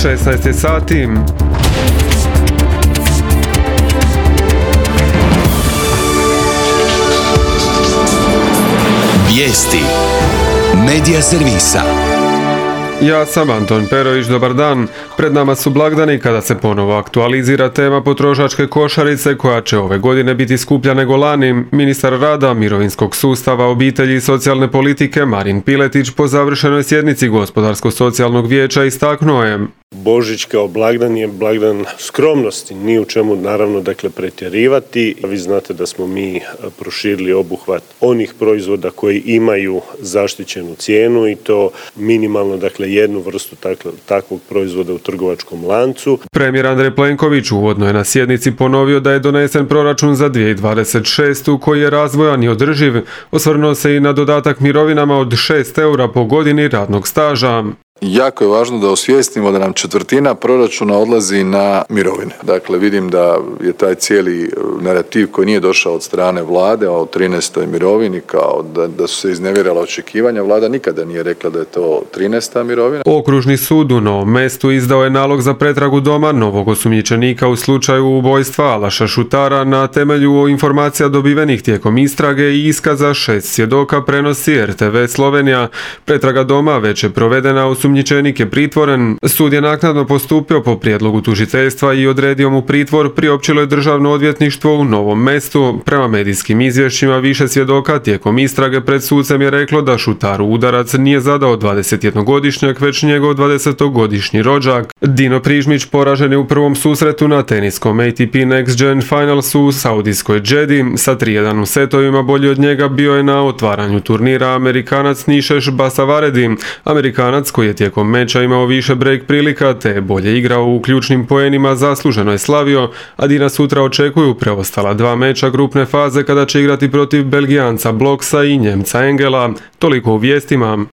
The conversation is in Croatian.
16 je sati. Vijesti Medija servisa. Ja sam Anton Perović, dobar dan. Pred nama su blagdani kada se ponovo aktualizira tema potrošačke košarice koja će ove godine biti skuplja nego lani. Ministar rada, mirovinskog sustava, obitelji i socijalne politike Marin Piletić po završenoj sjednici Gospodarsko-socijalnog vijeća istaknuo je: Božić kao blagdan je blagdan skromnosti, ni u čemu naravno pretjerivati. Vi znate da smo mi proširili obuhvat onih proizvoda koji imaju zaštićenu cijenu i to minimalno jednu vrstu takvog proizvoda u trgovačkom lancu. Premijer Andrej Plenković uvodno je na sjednici ponovio da je donesen proračun za 2026. koji je razvojan i održiv. Osvrnuo se i na dodatak mirovinama od 6 eura po godini radnog staža. Jako je važno da osvijestimo da nam četvrtina proračuna odlazi na mirovine. Dakle, vidim da je taj cijeli narativ koji nije došao od strane vlade o 13. mirovini, kao da su se iznevjerala očekivanja. Vlada nikada nije rekla da je to 13. mirovina. Okružni sud u Novom Mestu izdao je nalog za pretragu doma novog osumnjičenika u slučaju ubojstva Alaša Šutara na temelju informacija dobivenih tijekom istrage i iskaza 6 svjedoka, prenosi RTV Slovenija. Pretraga doma već je provedena, osumnjičenik je pritvoren. Sud je naknadno postupio po prijedlogu tužiteljstva i odredio mu pritvor, priopćilo je Državno odvjetništvo u Novom Mestu. Prema medijskim izvješćima više svjedoka tijekom istrage pred sucem je reklo da Šutaru udarac nije zadao 21-godišnjak, već njegov 20-godišnji rođak. Dino Prižmić poražen je u prvom susretu na teniskom ATP Next Gen Finalsu u Saudijskoj Džedi. Sa 3-1 u setovima bolji od njega bio je na otvaranju turnira Amerikanac Nišeš Basavaredi. Amerikanac koji je tijekom meča imao više break prilika te je bolje igrao u ključnim poenima zasluženo je slavio, a Dina sutra očekuju preostala 2 meča grupne faze kada će igrati protiv Belgijanca Bloksa i Njemca Engela. Toliko u vijestima.